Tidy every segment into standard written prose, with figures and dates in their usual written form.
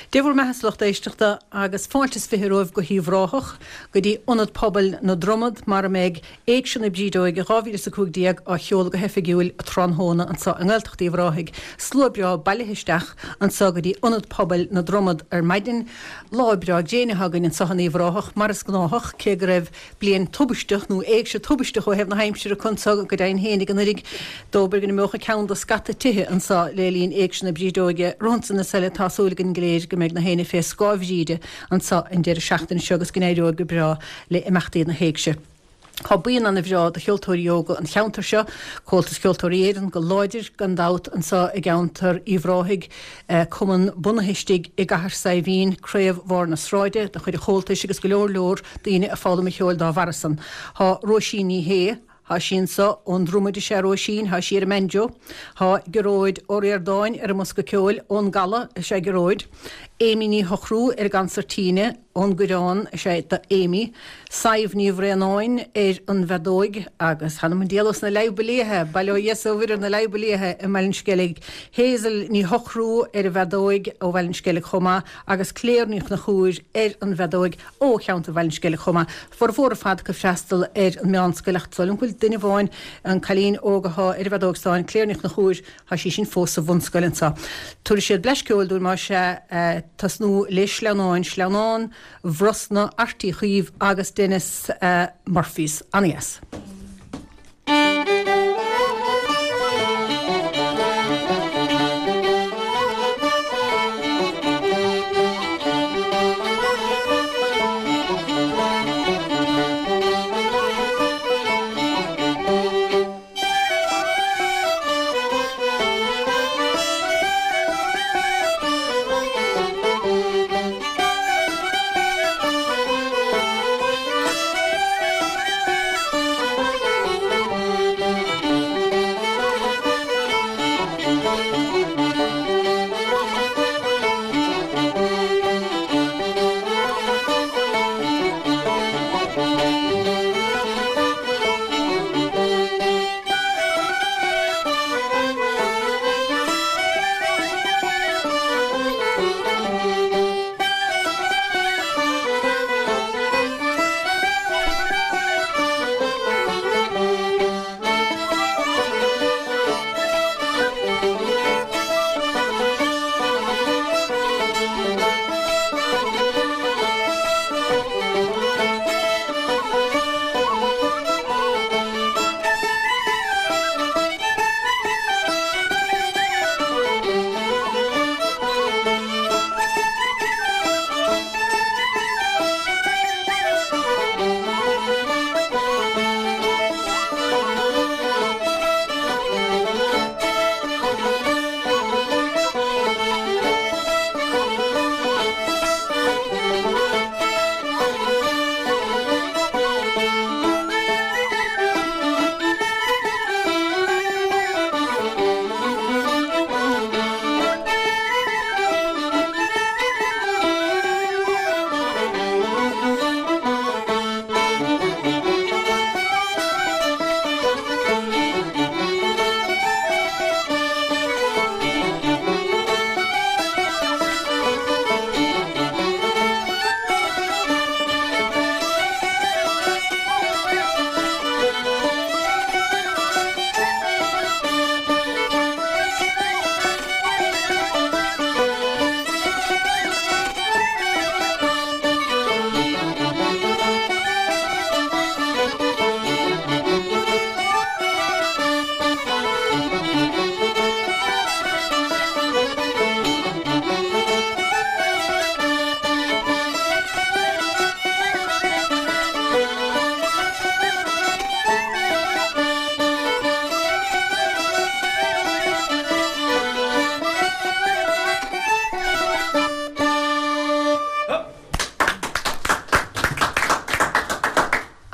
Dé bhur mbeatha a lucht éisteachta agus fáilte is 20 romhaibh go hUíbh Ráthach, go dtí Ionad Pobail na Dromad mar a mbeidh Éigse na Brídeoige 2015 á sheoladh go hoifigiúil tráthnóna anseo i nGaeltacht Uíbh Ráthaigh. Slua breá bailithe isteach anseo go dtí Ionad Pobail na Dromad ar maidin. Lá breá gréine atá againn anseo in Uíbh Ráthach, mar is gnáthach, cé go raibh bliain tubaisteach, nó éigse tubaisteach ó thaobh na haimsire acu anseo go deimhin fhéinig anuraidh. Dóbair go n-imeodh ceann de scata tithe anseo le linn Éigse na Brídeoige. Rompu san is eile tá súil againn go léir go mbeidh na héinne fé scáth Bhríde anseo an deireadh seachtaine seo agus go n-éireoidh go breá le imeachtaí na hÉigse. Tá buíon ana-bhreá de cheoltóirí óga an cheantair seo, Comhaltas Ceoltóirí Éireann go láidir gan dabht anseo i gceantar Uíbh Ráthaigh, cumann bunaithe istigh i gCathair Saidhbhín, Craobh Bharr na Sráide de chuid an Chomhaltais agus go leor leor daoine ag foghlaim an cheoil dá bharra san. Tá Róisín Ní Shé, Thá sí anso ón Dromaid is ea Róisín, thá sí ar an mbanjo. Thá Gearóid Ó Ríordáin ar an mbosca ceoil, ón gCaladh is ea Gearóid. Amy Ní Shochrú ar an gcansairtíne, ón gCoireán is ea do Amy. Sadhbh Ní Bhraonáin ar an bhfeadóig agus th'anam 'on diabhal sna Leadhba Liatha, bail ó Dhia 's ó Mhuire ar na Leadhba Liatha i mBaile an Sceilg. Hazel Ní Shochrú ar an bhfeadóig ó Bhaile an Sceilg chomh maith agus Claire Ní Chonchúir ar an bhfeadóig. ó cheantar Bhaile an Sceilg chomh maith. Formhór ar fad acu ag freastal ar an meánscoil ach is dóigh liom go bhfuil duine amháin, an cailín óg athá ar an bhfeadóg stáin, Claire Ní Chonchúir, thá sí sin fós sa bhunscoil anso. Tabharfaidh siad blais ceoil dúinn más ea, tosnú le Sleamhnáin, Sleamhnán Bhrosna, Airt Uí Chaoimh agus Denis Murphys. Ana-dheas.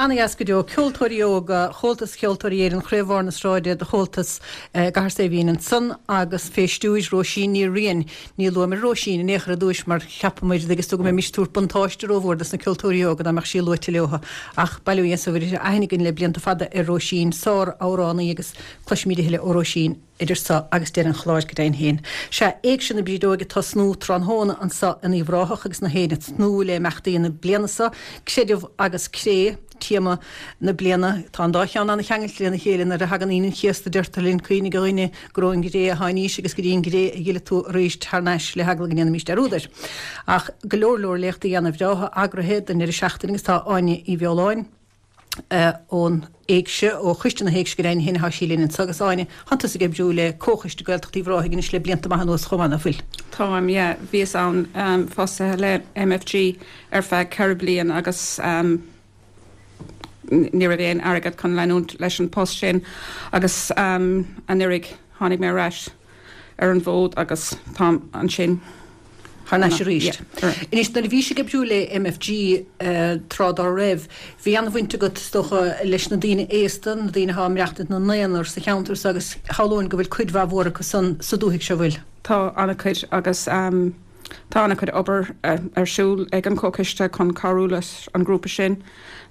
Ana-dheas go deo. Ceoltóirí óga Chomhaltas Cheoltóirí Éireann Chraobh Bharr na Sráide de Chomhaltas i gCathair Saidhbhín ansan agus fé stiúir Róisín Ní Riain. Ní luamar Róisín in aon chor ar dtúis mar cheapamar agus tú go mbeimis ag tabhairt buntáiste rómhór dos na ceoltóirí óga dá mbeadh sí luaite leo. Ach bail ó Dhia is bhfuil aithne againn le blianta fada ar Róisín, sár-amhránaí agus cloisfimid a thuilleadh ó Róisín idir so agus deireadh an chláir go deimhin féin. Sea, Éigse na Brídeoige ag tosnú tráthnóna anso in Uíbh Ráthach agus na héinne ag tnúth le imeachtaí na bliana so, creideamh agus cré, téama na bliana. Tá an dá cheann an-cheangailte lena chéile. Nuair a thagann Aoine an Chéasta deirtear linn cuimhnigh a dhuine gur ón gcré a tháinís agus go dtí an gcré a fhillfidh tú arís thar n-ais le heagla go ndéanfaimís dearúd air. Ach go leor leor léachtaí ana-bhreátha eagraithe don ndeireadh seachtaine agus tá Áine Uí Bheoláin, ón Éigse, ó Choiste na hÉigse go deimhin féin atá sí linn anseo agus Áine, tánn tusa ag oibriú le Comhchoiste Gaeltacht Uíbh Ráthaigh anois le blianta maith anuas chomh maith, ná fuil? Táim, yeah. Bhíos ann fostaithe le MFG ar feadh 4 bliain agus ní raibh aon airgead chun leanúint leis an post sin agus anuraidh tháinig mé ar ais. ar an bhfód agus táim ansin thar n-ais arís. Anois, nuair a bhís ag oibriú le MFG tráth dá raibh, bhí an-bhaint agat, is dócha, leis na daoine aosta, na daoine atá ag maireachtaint ina n-aonar sa cheantar so agus shamhlóinn go bhfuil cuid mhaith mhór acu san sa dúthaigh seo, bhfuil? Tá an-chuid agus tá an-chuid obair ar siúl ag an Chomhchoiste chun cabhrú leis an ghrúpa sin.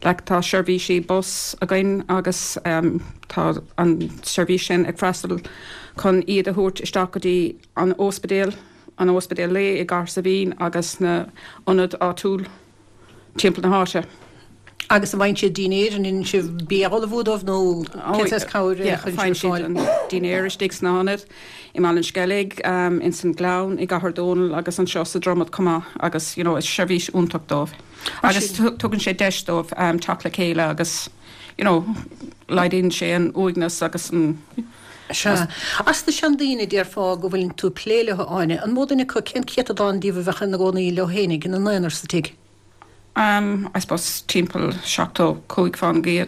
Like tá seirbhísí bus againn agus tá an seirbhís sin ag freastal chun iad a thabhairt isteach go dtí an ospidéal, an ospidéal lae i gCathair Saidhbhín agus na ionaid áitiúil timpeall na háite. Agus an bhfaigheann siad dinnéar, an ndéanann sibh bia a ullmhú dóibh nó cén saghas cabhair a chuireann sibh ar fáil? Faigheann siad an dinnéar istigh sna hionaid, i mBaile an Sceilg, ins an Ghleann, i gCathair Dónall agus anseo sa Dromad chomh maith agus you know is seirbhís iontach dóibh. Agus tugann sé deis dóibh teacht le chéile agus you know laghdaíonn sé an uaigneas agus an. Sea. As na seandaoine, déarfá go bhfuileann tú ag plé leo, Áine, an mó duine acu, cén céatadán díobh a bheadh ina gcónaí leo fhéinig, ina n-aonar sa tigh? Um, I suppose timpeall 75%, yeah.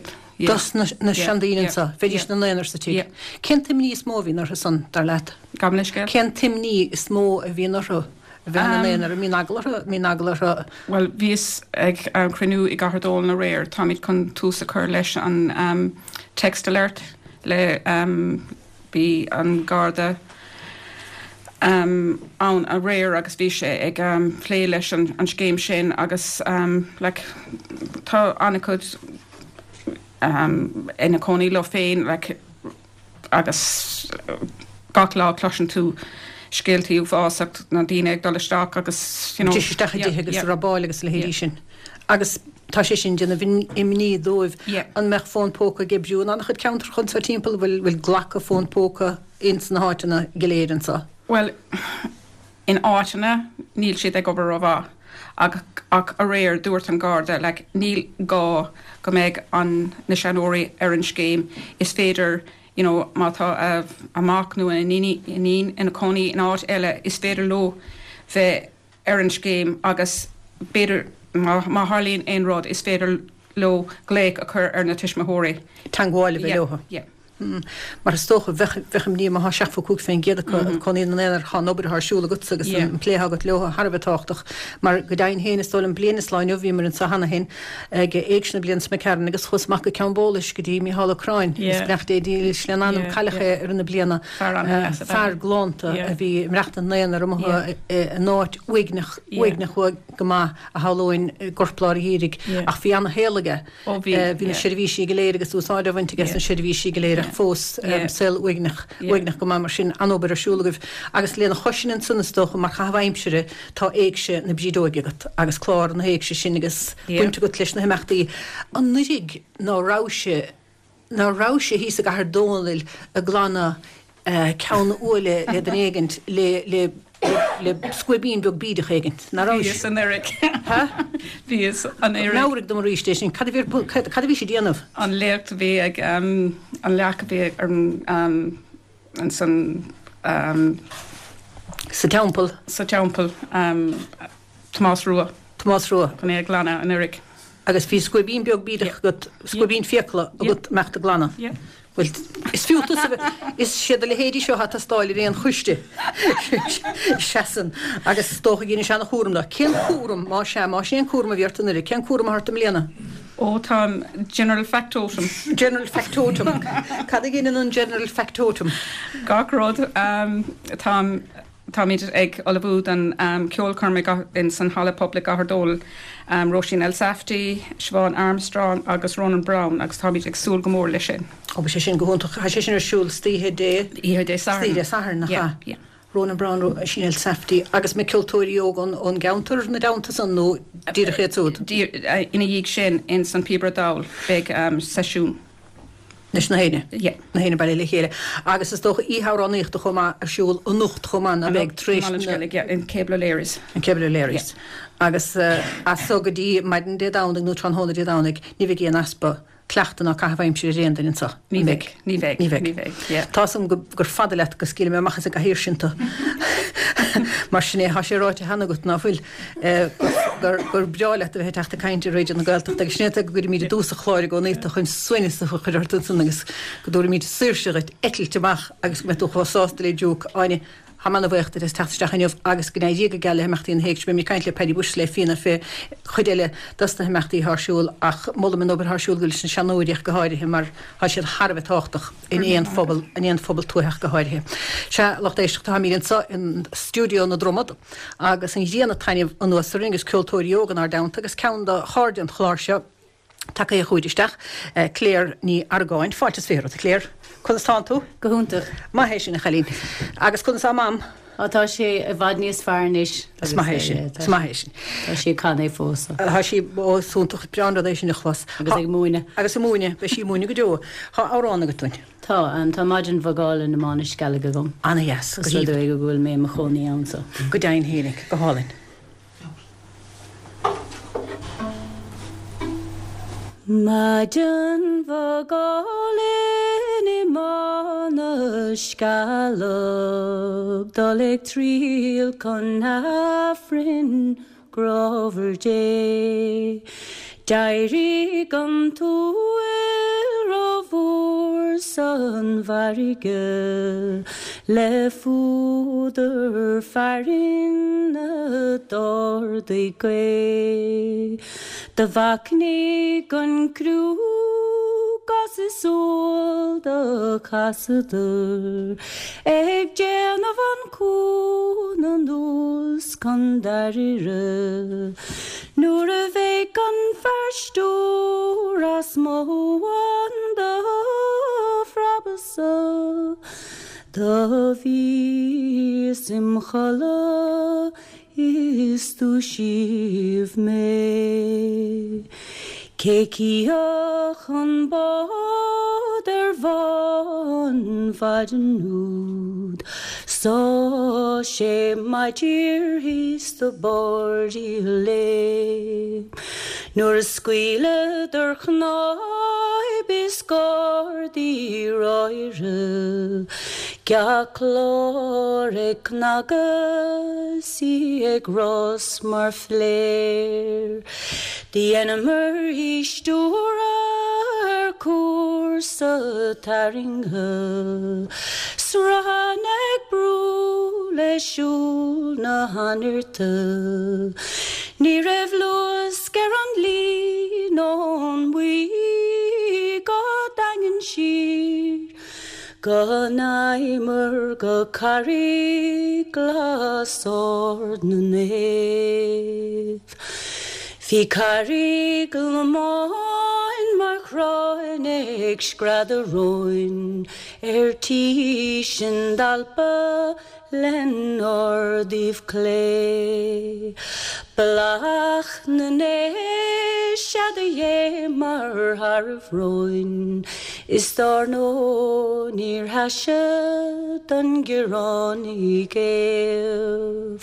Dos na seandaoine anso, bheidís ina n-aonar sa tigh. Cén t-imní is mó a bhíonn orthu san, dar leat? Gabh mo leithscéal? Cén t-imní is mó a bhíonn orthu a bheith ina n-aonar? An mbíonn eagla orthu? An mbíonn eagla orthu? Bhuel, bhíos ag cruinniú i gCathair Dónall aréir. Táimid chun tús a chur leis an text alert le Bhí an Garda ann aréir agus bhí sé ag plé leis an scéim sin agus like tá an-chuid ina cónaí leo féin like agus gach lá cloiseann tú scéaltaí uafásach na daoine ag dul isteach agus you know. Isteach i dtithe agus robáil agus a leithéidí sin. Agus tá sé sin ag déanamh imní dóibh. An mbeadh fón póca ag oibriú in an-chuid ceantracha anseo timpeall? Bhfuil bhfuil glacadh fón póca ins na háiteanna go léir anseo? Bhuel, in áiteanna níl siad ag obair rómhaith ach ach aréir dúirt an Garda like níl gá go mbeidh an na seanóirí ar an scéim, is féidir you know má tá a a mac nó a iníon ina cónaí in áit eile is féidir leo bheith ar an scéim agus b'fhéidir má tharlaíonn aon rud is féidir leo glaoch a chur ar na tuismitheoirí. Teagmháil a bheith leo. Yeah. Mar is dócha, bheadh bheadh imní má tá 75% acu ina gcónaí ina n-aonar, tá an obair atá ar siúl agatsa agus an plé atá agat leo thar a bheith tábhachtach. Mar go deimhin féin, is dóigh liom bliain is lá inniu, bhíomar anseo cheana féin ag Éigse na bliana seo imigh tharainn agus chuas amach go Ceann Bólais go dtí Mícheál Ó Curráin, is beannacht Dé dílis lena anam, cailleadh é i rith na bliana. Fear galánta a bhí ag maireachtaint ina aonar amuigh in áit uaigneach, uaigneach go maith a shamhlóinn i gcorplár an gheimhridh ach bhí ana-shaol aige. Bhí na seirbhísí go léir agus úsáid á bhaint aige as na seirbhísí go léir ach fós saol uaigneach, uaigneach go maith mar sin an-obair ar siúl agaibh. Agus lena chois sin ansan is dócha mar chaitheamh aimsire tá Éigse na Brídeoige agat agus clár na hÉigse sin agus baint agat leis na himeachtaí. Anuraidh ná rabhais Ná rabhais thíos i gCathair Dónaill ag glanadh ceann uaille le duine éigint le le le scuaibín beag bídeach éigint, ná rabhais? Bhíos anuraidh. Ha? Bhíos anuraidh. Meabhraigh dom arís é sin. Cad a bhí ar cad a bhís ag déanamh? An léacht a bhí ag an leac a bhí ar an ansan. Sa teampall. Sa teampall. Tomás Rua. Tomás Rua. Chun é a ghlanadh anuraidh. Agus bhí scuaibín beag bídeach agat, scuaibín fiacla agat a mbeadh tú ag glanadh. Yeah. Bhuel, is fiú tusa a bheith, is siad a leithéidí seo atá ag teastáil ar aon choiste. Seasann. Agus is dócha go ndéanann sé an-chúram dó. Cén cúram, más ea, más é an cúram a bhí ort anuraidh, cén cúram atá ort i mbliana? Ó táim general factotum. General factotum. Cad a dheineann an general factotum? Gach rud. Táim, táimid ag ullmhú don ceolchoirm in san Halla Pobail i gCathair Dónall, Róisín Elsafty, Siobhán Armstrong agus Ronan Browne agus táimid ag súil go mór leis sin. Ó beidh sé sin go hiontach. Tá sé sin ar siúl istoíche Dé. Oíche Dé Sathairn. Istoíche Dé Sathairn, nach ea? Yeah. Ronan Browne, Róisín Elsafty agus na ceoltóirí óga ón gceantar ina dteannta san nó díreach iad siúd? Ina dhiaidh sin ins An Píobaire Dall beidh seisiún. Leis na héinne? Yeah. Na héinne bailithe le chéile. Agus is dócha oíche amhránaíochta chomh maith ar siúl anocht chomh maith ná beidh tar éis na. Yeah, in Cable O'Leary's. In Cable O'Leary's. Yeah. Agus as so go dtí maidin Dé Domhnaigh nó tráthnóna Dé Domhnaigh ní bheidh aon easpa cleachtadh ná caitheamh aimsire ar aon duine anseo. Ní bheidh. Ní bheidh. Ní bheidh. Ní bheidh. Yeah. Tá 'fhios a'm gur fada leat go scaoilfidh mé amach as an gcathaoir sin tú. Mar sin é, tá sé ráite cheana agat, ná fuil, gur gur breá leat a bheith ag teacht ag caint ar Raidió na Gaeltachta agus sin é go gcuirimid i dtús an chláir i gcónaí tú chun suaimhneas a chur ort ansan agus go dtabharfaimid saoirse dhuit eitilt amach agus go mbeidh tú chomh sásta le diúc. Áine, Táim ana-bhuíoch duit as teacht isteach inniu agus go n-éirí go geal le himeachtaí na hÉigse. Beimid ag caint le Paddy Bushe le Fianna fé chuid eile dos na himeachtaí atá ar siúl ach molaim an obair atá ar siúl leis na seanóirí ach go háirithe mar tá siad thar a bheith tábhachtach in aon phobal, in aon phobal tuaithe ach go háirithe. Sea, lucht éisteachta, táimid anseo in stiúideo na Dromad agus an ghrian ag taitneamh anuas orainn agus ceoltóirí óga inár dteannta agus ceann de chairde an chláir seo, Tagaithe chugainn isteach, Claire Ní Argáin. Fáilte is 20 romhat, a Claire. Conas tánn tú? Go hiontach. Maith é sin, a chailín. Agus conas tá Mam? Á, tá sé i bhfad níos fearr anois. Is maith é sin. Is maith é sin. Tá sí ag canadh fós. Tá sí, ó, is iontach, breá an rud é sin a chlos. Agus ag múineadh. Agus ag múineadh. Beidh sí ag múineadh go deo. Tá amhrán agat dúinn. Tá, tá Maidin Bhog Álainn i Mbá na Scealg agam. Ana-dheas. Go haoibhinn. Is rud é go bhfuil mé i mo chónaí ann so. Go deimhin fhéinig. Go hálainn. Maidin bhog álainn i mBá na Scealg, dul ag triall chun Aifrinn grámhar Dé. D'éirigh an t-úill rómhór san bhfarraige le fuadar fearthainne d'ardaigh gaoth. Do mhachnaigh an criú gas is úll do chasadar ag déanamh an cuan anuas chun Dairíre. Nuair a bhéic an fear stiúir as mo bhun do phreabadh-sa do bhíos im chodladh is dúisíodh mé. Cé chífeadh an bád ar mhá an mhaidin úd Sá sé maidhc thíos do b'airde léi Nuair a scaoileadar cnáib is gardaí ráire Gach clár ag cnagadh 's í ag rás mar phléir Dheineamar í stiúradh ar cúrsa tarraingthe Sruthán ag brú le siúl na hainnirte Ní raibh luasc ar an líon ón mbaoi go daingean siar Go n-aghaidheamar go Carraig Ghlas Ard na Naomh. Bhí Carraig Lomáin mar chráin ag screadadh romhainn ar tí sinn d'alpadh lenár dtaobh clé. Bealach na nDéise 'sea do dhéanamar tharaibh romhainn is dár ndóigh níor thaise don Ghearánaigh géabh.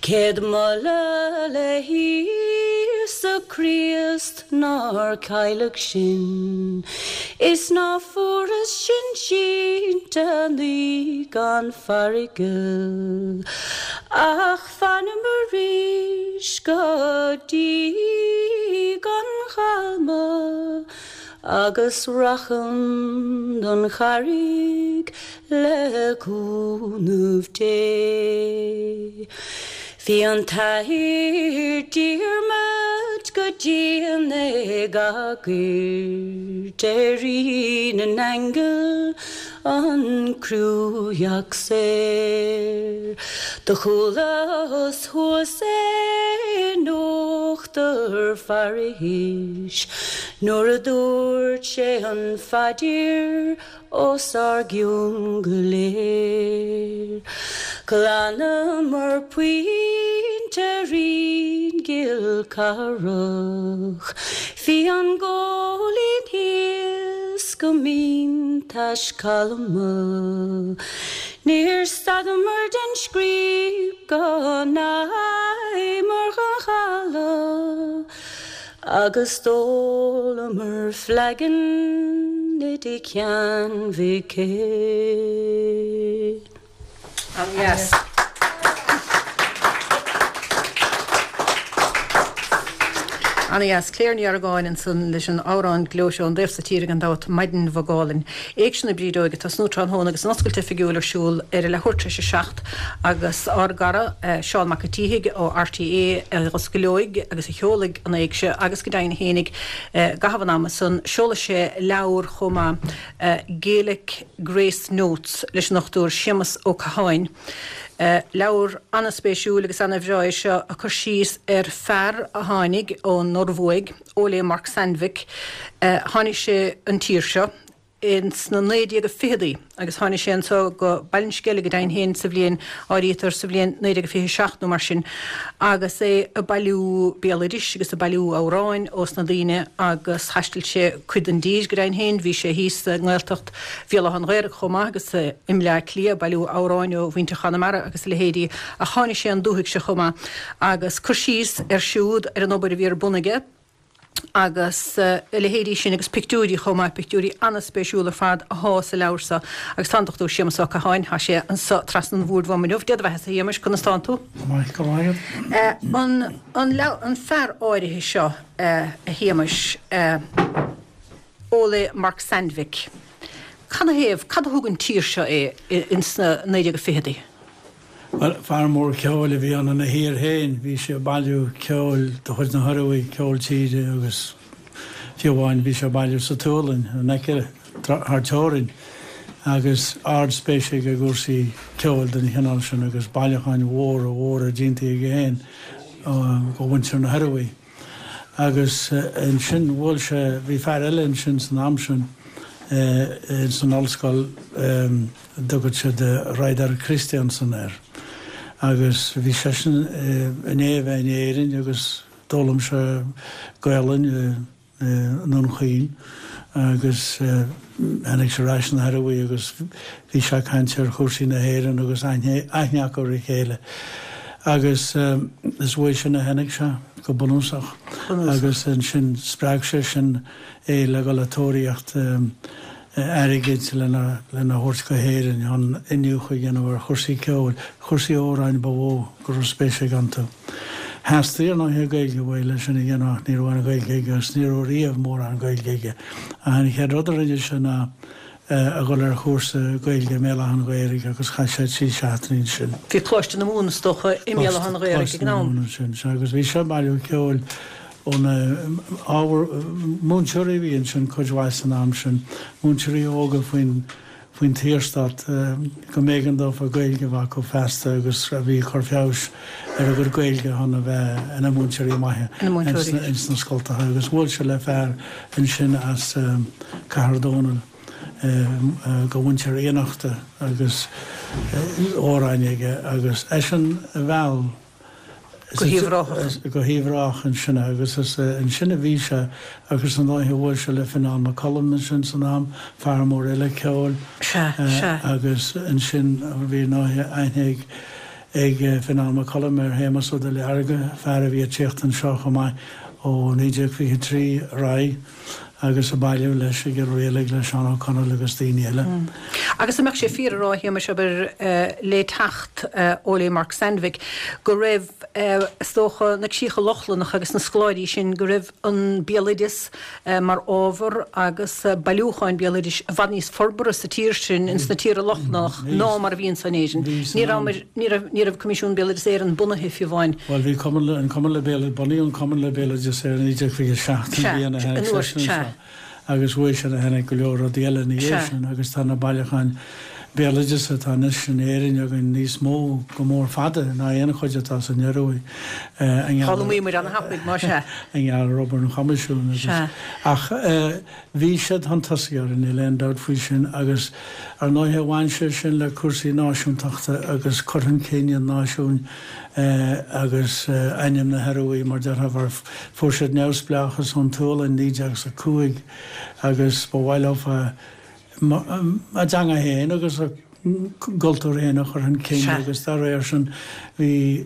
Céad moladh le hÍosa Críost nár cailleadh sinn is ná fuarthas sinn sínte anuigh gan farraige ach fanam arís go dtí an chalma agus racham don Charraig le cúnamh Dé. Bhí an tAthair Diarmaid go dian ag agairt ar Rí na nAingeal an criúdheac saor. Do chualas thuas é in uachtar pharáis nuair a dúirt sé an phaidir os ár gcionn go léir. Ghlanamar punt ar an gCill Charthach. Bhí an góilín thíos go mín tais calma. Níor stadamar den scríob go ndeachaíomar chun chodladh. Agus d'ólamar flagon i dtigh Sheáin Mhic Céil. An-dheas. An-dheas. Claire Ní Argáin ansan leis an amhrán gleoite ón dtaobh so tíre gan dabht, Maidin Bhog Álainn. Éigse na Brídeoige ag tosnú tráthnóna agus an oscailt oifigiúil ar siúl ar a leathuair tar éis a 7 agus ár gcara Seán Mac an tSíthigh ó RTÉ a dh'osclóidh agus a sheolfaidh an éigse agus go deimhin fhéinig i gcaitheamh an ama san seolfaidh sé leabhar chomh maith Gaelic Grace Notes leis an Dr Séamus Ó Catháin. Leabhar an-spéisiúil agus an-bhreá é seo ag cur síos ar fear a tháinig ón Norbhuaidh, Ole Mark Sandvik. Tháinig sé an tír seo ins na 1920idí agus tháinig sé anso go Baile an Sceilg go deimhin féin sa bhliain, áirítear, sa bhliain 1927 nó mar sin agus é ag bailiú béaloidis agus ag bailiú amhráin ós na daoine agus thaistil sé cuid den dtír go deimhin féin. Bhí sé thíos i nGaeltacht Bhéal Átha an Ghaorthaidh chomh maith agus i mBleá Cliath ag bailiú amhráin ó mhuintir Chonamara agus a leithéidí ach tháinig sé an dúthaigh seo chomh maith agus cur síos air siúd ar an obair a bhí ar bun aige agus a leithéidí sin agus pictiúirí chomh maith, pictiúirí an-spéisiúla ar fad athá sa leabhar so agus tá an Dr Séamus Ó Catháin, thá sé anso trasna an bhoird uaim inniu. Dé do bheatha-sa a Shéamais, conas tánn tú? Go maith, go raibh maith agat. An, an leabhar, an fear áirithe seo, a Shéamais, Ole Mark Sandvik, canathaobh, cad a thug an tír seo é ins na 1920idí? Bhuel, fear mór ceoil a bhí ann ina thír féin. Bhí sé ag bailiú ceoil de chuid na hIorua, ceol tíre agus fiú amháin bhí sé ag bailiú sa tSualainn, in aice, thar teorainn. Agus ard-spéis aige i gcúrsaí ceoil den chineál sin agus bailiúcháin mhóra mhóra déanta aige féin ó mhuintir na hIorua. Agus ansin bhuail sé, bhí fear eile ansin san am sin ins an ollscoil, a dtugadh siad Reidar Kristiansen air. Agus bhí seisean i ndiaidh a bheith in Éirinn agus d'fhoghlaim sé Gaolainn i nDún Chaoin agus tháinig sé ar ais na hIorua agus bhí sé ag caint ar chúrsaí na hÉireann agus aithne acu ar a chéile. Agus is uaidh sin a tháinig sé, go bunúsach. Agus ansin spreag sé sin é le dhul ag tóraíocht airgid lena thabhairt go hÉirinn chun iniúchadh a dhéanamh ar chúrsaí ceoil, chúrsaí amhráin ba mhó go raibh spéis aige iontu. Theastaigh, ar ndóighe, Gaeilge uaidh leis sin a dhéanamh ach ní raibh aon Ghaeilge aige agus ní raibh riamh mórán Gaeilge aige. Ach an chéad rud a rinne sé ná a dhul ar chúrsa Gaeilge i mBéal Átha an Ghaorthaidh agus chaith sé 3 seachtainí ansin. Bhí Coláiste na Mumhan, is dócha, i mBéal Átha an Ghaorthaidh ag an am. Coláiste na Mumhan ansin, sea, agus bhí sé ag bailiú ceoil ó na ábhair, múinteoirí a bhí ansin cuid mhaith san am sin, múinteoirí óga faoin faoin tSaorstát, go mb'éigean dófa Gaeilge a bheith acu feasta agus a bhí ag cur feabhais ar a gcuid Gaeilge chun a bheith ina múinteoirí maithe ins na scoltacha. Agus bhuail sé le fear ansin as Cathair Dónall de mhuintir Fhiannachta agus amhráin aige agus eisean a mheall Go hUíbh Ráthach. Go hUíbh Ráthach ansin agus is ansin a bhí sé agus ar ndóighe bhuail sé le Fionán Mac Coluim ansin san am, fear mór eile ceoil. Sea, sea. Agus ansin bhí ar ndóighe aithne ag ag Fionán Mac Coluim ar Shéamus Ó Duilearga, fear a bhí ag tíocht anseo chomh maith ó 1923 ar aghaidh agus ag bailiú leis i gCill Rialaig le Seán Ó Conaill agus daoine eile. Agus an mbeadh sé fíor a rá, a Shéamais, abair, le teacht Ole Mark Sandvik, go raibh, is dócha, na críocha Lochlannacha agus na scoláirí sin, go raibh an béaloideas mar ábhar agus bailiúcháin béaloidis i bhfad níos forbartha sa tír sin, ins na tíortha Lochlannach, ná mar a bhí anso in Éirinn. Ní raibh, ní raibh, ní raibh Coimisiún Béaloideas Éireann bunaithe fiú amháin. Bhuel, bhí Cumann le, an Cumann le Béaloideas, bunaíodh an Cumann le Béaloideas Éireann i 1927, an bhliain a tháinig seisean anseo. Agus uaidh sin a tháinig go leor rudaí eile ina dhiaidh sin agus tá na bailiúcháin béaloideasa atá anois in Éirinn againn níos mó go mór fada ná aon chuid atá san Ioruaidh i ngeall ar i ngeall ar obair an Choimisiúin agus ach bhí siad chun tosaigh orainn, níl aon dabht faoi sin agus ar ndóighe bhain sé sin le cúrsaí náisiúntachta agus cur chun cinn an náisiúin agus ainm na hIoruaidh, mar déarfá, mar fuair siad neamhspleáchas ón tSualainn 1905 agus ba mhaith leo a dteanga féin agus a gcultúr féin a chur chun cinn agus dá réir sin bhí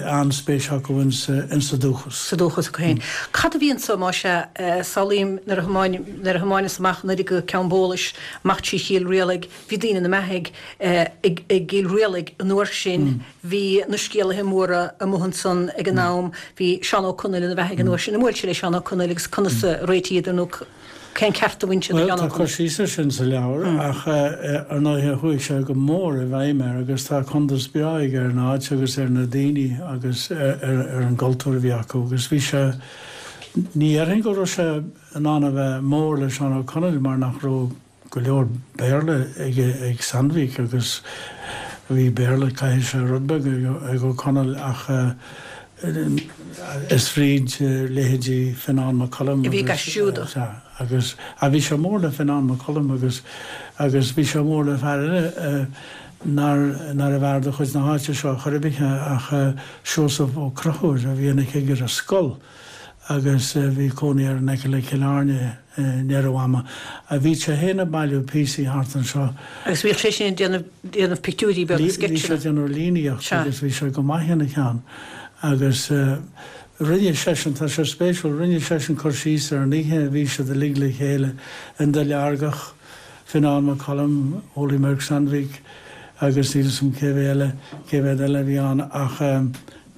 an-spéis acu insa dúchas. Sa dúchas acu féin. Cad a bhí anso, más ea? Samhlaím nuair a nuair a thiomáineas amach anuraidh go Ceann Bólais, amach trí Chill Rialaig, Bhí daoine ina mbeathaidh i gCill Rialaig an uair sin. Bhí na scéalaithe móra amuigh ansan ag an am. Bhí Seán Ó Conaill ina bheathaidh an uair sin. Ar bhuail sé le Seán Ó Conaill agus conas a réitíodar nó cén ceart a bhain sé do Sheán Ó Conaill? Bhuel, tá cur síos air sin sa leabhar ach ar ndóighe chuaigh sé go mór i bhfeidhm air agus tá cuntas breá aige ar an áit agus ar na daoine agus ar an gcultúr a bhí acu agus bhí sé, ní dhéarfainn go raibh sé in ann a bheith mór le Seán Ó Conaill mar nach raibh go leor Béarla ag Sandvik agus bhí Béarla, caithfidh sé, rud beag ag Ó Conaill ach is fríd leithéidí Fionán Mac Coluim a bhí ag aistriú dó. Sea, agus bhí sé mór le Fionán Mac Coluim agus agus bhí sé mór le fear eile nár nárbh fhear de chuid na háite seo chor ar bith ach Seosamh Ó Conchúir a bhí ina chigire scol agus bhí cónaí air in aice le Cill Airne i ndeireadh ama. Bhí sé féin ag bailiú píosaí thart anseo. Agus bhíodh sé sin ag déanamh, déanamh pictiúirí beaga, sceitseanna. Bhí sé ag déanamh líníocht agus bhí sé go maith ina cheann. Agus rinne seisean, tá sé spéisiúil, rinne seisean cur síos ar an oíche a bhí siad uilig le chéile in Duilleargach, Fionán Mac Coluim, Ole Mørk Sandvik agus níl 'fhios a'm cé mhéad eile, cé mhéad eile a bhí ann ach,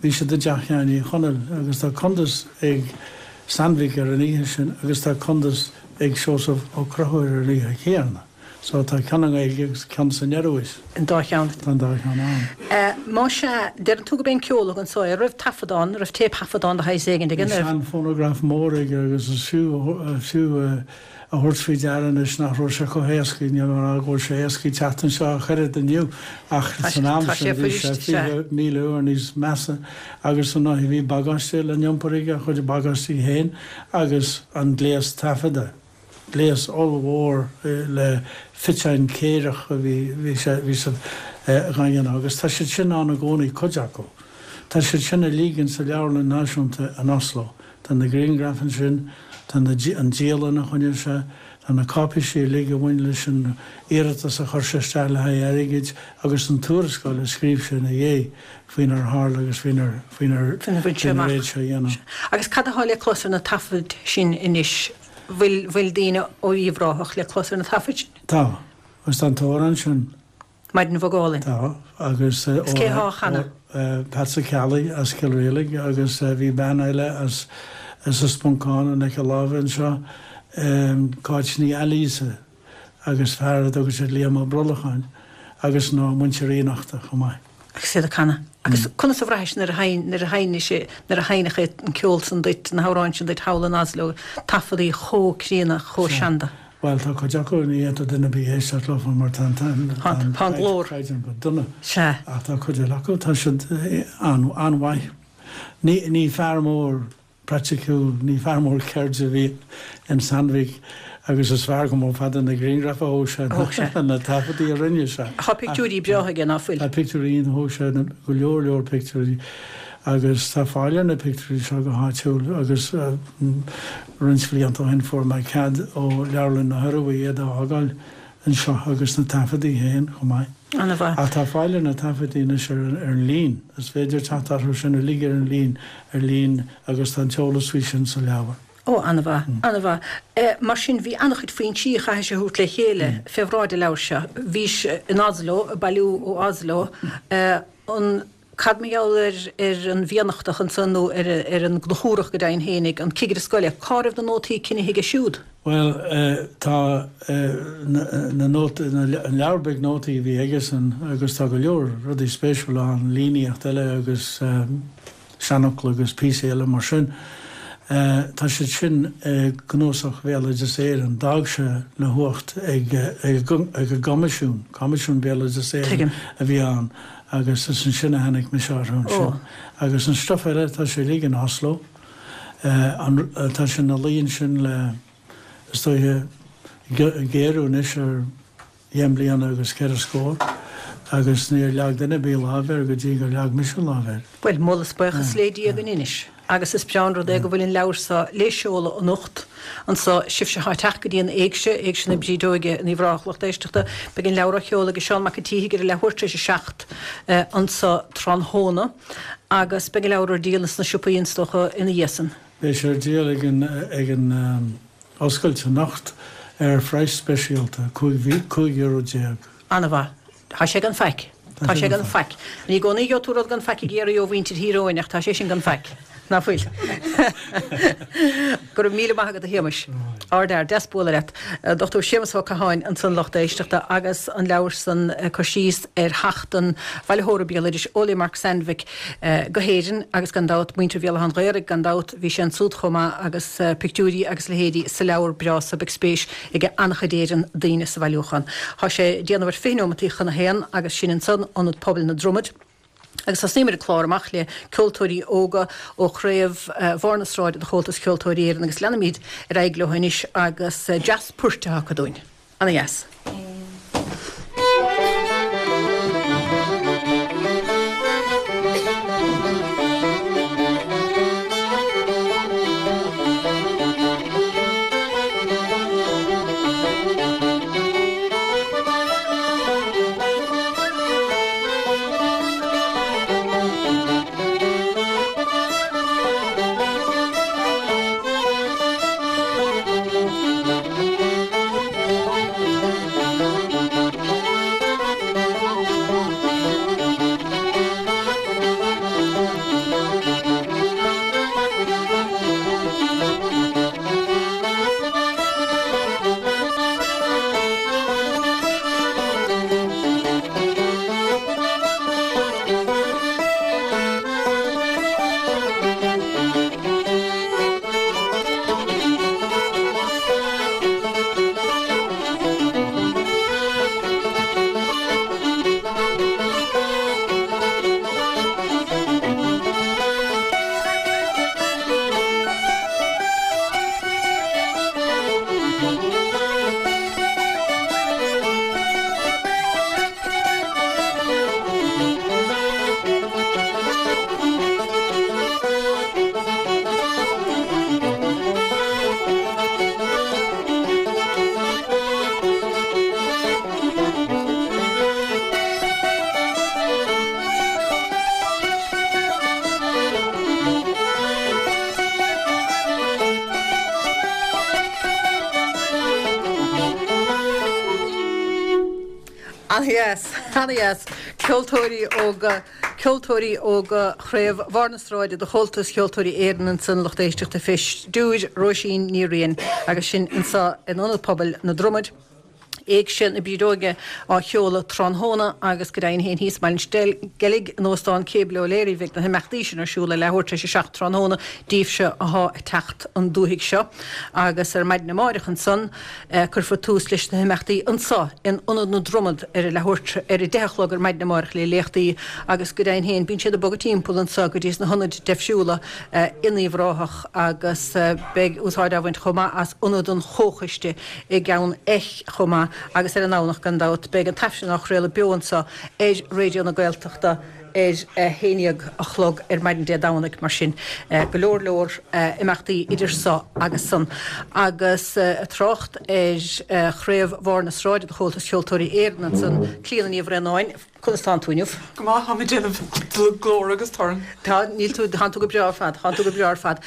Bhí siad i dteach Sheáin Uí Chonaill agus tá cuntas ag Sandvik ar an oíche sin agus tá cuntas ag Seosamh Ó Conchúir ar an oíche chéanna. So tá ceann i nGaeilge agus ceann san Ioruais. An dá cheann. Tá an dá cheann ann. Más ea, deireann tú gurb é an ceol a thug anso é. An raibh taifeadán, an raibh téipthaifeadán de shaghas éigin aige? Bhí sean-phonograf mór aige agus is fiú, fiú a thabhairt faoi deara anois nach raibh sé chomh héasca, níl mé a rá go bhfuil sé éasca teacht anseo ach oiread inniu, ach san am sin bhí sé 20,000 uair níos measa agus ar ndóigh bhí bagáiste le n-iompar aige, a chuid bagáistí féin agus an gléas taifeadta, gléas ollmhór le fiteáin céireach a bhí, bhí sé, bhí siad dhá dhéanamh agus tá siad sin ann i gcónaí, cuid acu. Tá siad sin uilig in sa Leabharlann Náisiúnta in Oslo. Tá na grianghraif ansin, tá na, an dialann a choinnigh sé, tá na cáipéisí uilig a bhain leis an iarratas a chuir sé isteach le haghaidh airgid agus an tuarascáil a scríobh sé ina dhiaidh faoinar tharla agus faoinar, faoinar, faoinar bhain sé amach. faoinar fhéad sé a dhéanamh. Agus cad atá le clos ar na taifid sin anois? Bhfuil, bhfuil daoine ó Uíbh Ráthach le clos ar na taifid sin? Tá. Agus tá an t-amhrán sin. Maidin Bhog Álainn. Tá, agus. Is cé thá á chanadh? Peats Ó Ceallaigh as Cill Rialaig agus bhí bean eile as as an Sponcán in aice láimhe anseo, Cáit Ní Ailíosa agus fear a dtugadh siad Liam Ó Brollacháin agus ná muintir Fhiannachta chomh maith. Agus iad ag canadh. Agus conas a bhraithis nuair a sheinn nuair a sheinn sé nuair a sheinneadh an ceol san duit, na hamhráin sin duit thall in Oslo, taifeadtaí chomh críonna, chomh seanda? Bhuel, tá cuid acu, ní fhéadfadh duine ar bith éisteacht leofa mar tá an Tá an glór. caighdeán go dona. Sea. Ach tá cuid eile acu, tá siad an-mhaith. Ní fear mór praiticiúil, ní fear mór ceirde a bhí in Sandvik agus is fearr go mór fada na grianghraif a thóg sé ná na taifeadtaí a rinne sé. Tá pictiúirí breátha aige, ná fuil? Tá pictiúirí iontacha, thóg sé go leor leor pictiúirí agus tá fáil ar na pictiúirí seo go háitiúil agus Roinnt bhlianta ó shin fuair mé cead ó Leabharlann na hIorua iad a fhágáil anseo agus na taifeadtaí féin chomh maith. An-mhaith. Ach tá fáil ar na taifeadtaí anois ar an líon. Is féidir teacht orthu sin uilig ar an líon ar líon agus tá an t-eolas faoi sin sa leabhar. Ó, an-mhaith, an-mhaith. Mar sin, bhí an-chuid foinsí a chaithfeas a thabhairt le chéile fé bhráid an leabhair seo. Bhís in Oslo, ag bailiú ó Oslo. An, cad mar gheall ar, ar an bhFiannachtach ansan nó ar, ar an gConchúrach go deimhin fhéinig, an cigire scoile, cá raibh na nótaí cinnithe aige siúd? Bhuel, tá na nótaí, an leabhar beag nótaí a bhí aigesan agus tá go leor rudaí spéisiúla ann, líníocht eile agus seanfhocla agus píosaí eile mar sin. Tá siad sin i gCnuasach Bhéaloideas Éireann. D'fhág sé le huacht ag an gCoimisiún, Coimisiún Bhéaloideas Éireann a bhí ann agus is ansin a tháinig mise orthu ansin. Agus an stuif eile, tá sé uilig in Oslo. Tá sé ina luí ansin le, is dóiche, ag géarú anois ar dheich mbliana agus ceithre scór agus níor leag duine ar bith lámh air go dtí gur leag mise lámh air. Bhuel, moladh is buíochas le Dia againn anois agus is breá an rud é go bhfuil an leabhar seo le seoladh anocht anso. Sibhse atá ag teacht go dtí an Éigse, Éigse na Brídeoige in Uíbh Ráthach, lucht éisteachta, beidh an leabhar á sheoladh ag Seán Mac an tSíthigh ar a leathuair tar éis a 7 anso tráthnóna agus beidh an leabhar ar díol ins na siopaí is dócha ina dhiaidh san. Beidh sé ar díol ag an ag an oscailt anocht ar phraghas speisialta, €15. An-mhaith. Tá sé gan faic. Tá sé gan faic. Ní i gcónaí a gheobhaidh tú rud gan faic i gCiarraí ó mhuintir Thír Eoghain ach tá sé sin gan faic. Ná fuil? Go raibh míle maith agat a Shéamais. Ardfhear. Deas bualadh leat. Dr Séamus Ó Catháin ansan lucht éisteachta agus an leabhar san ag cur síos ar theacht an bhailitheora béaloidis Ole Mark Sandvik go hÉirinn agus gan dabht muintir Bhéal Átha an Ghaorthaidh gan dabht bhí sé ansúd chomh maith agus pictiúirí agus leithéidí sa leabhar breá so beidh spéis ag an-chuid Éireann daoine sa bhailiúchán. Tá sé ag déanamh ar 20 neomataí chun a haon agus sin ansan Ionad Pobail na Dromad. Agus thosnaíomar an clár amach le ceoltóirí óga ó chraobh Bharr na Sráide de Chomhaltas Ceoltóirí Éireann agus leanfaimid ar aghaidh leo anois agus dreas poirt atá acu dúinn. Ana-dheas. Ana-dheas, ana-dheas. Ceoltóirí óga, ceoltóirí óga Chraobh Bharr na Sráide de Chomhaltas Cheoltóirí Éireann ansan, lucht éisteachta fé stiúir Róisín Ní Riain agus sin anso in Ionad Pobail na Dromad. Éigse na Brídeoige á sheoladh tráthnóna agus go deimhin féin thíos i mBaile an Sceilg in Óstán Cable O'Leary bheidh na himeachtaí sin ar siúl ar leathuair tar éis a 7 tráthnóna daoibhse athá ag teacht an dúthaigh seo agus ar maidin amáireach ansan cuirfear tús leis na himeachtaí anso in Ionad na Dromad ar a leathuair ar a deich a chlog ar maidin amáireach le léachtaí agus go deimhin féin bíonn siad ag bogadh timpeall anso go dtí sna hionaid deifriúla in Uíbh Ráthach agus beidh úsáid á bhaint chomh maith as Ionad an Chomhchoiste i gCeann Eich chomh maith agus ar an nDomhnach gan dabht beidh an tAifreann á chraoladh beo anseo ar Raidió na Gaeltachta ar a haon dhéag a chlog ar maidin Dé Domhnaigh mar sin go leor leor imeachtaí idir so agus san. Agus ag trácht ar Chraobh Bharr na Sráide de Chomhaltas Cheoltóirí Éireann ansan, Clíona Ní Bhraonáin, conas tánn tú inniu? Go maith, táim ag déanamh glór agus torann. Tá, níl tú, tánn tú go breá ar fad, tánn tú go breá ar fad.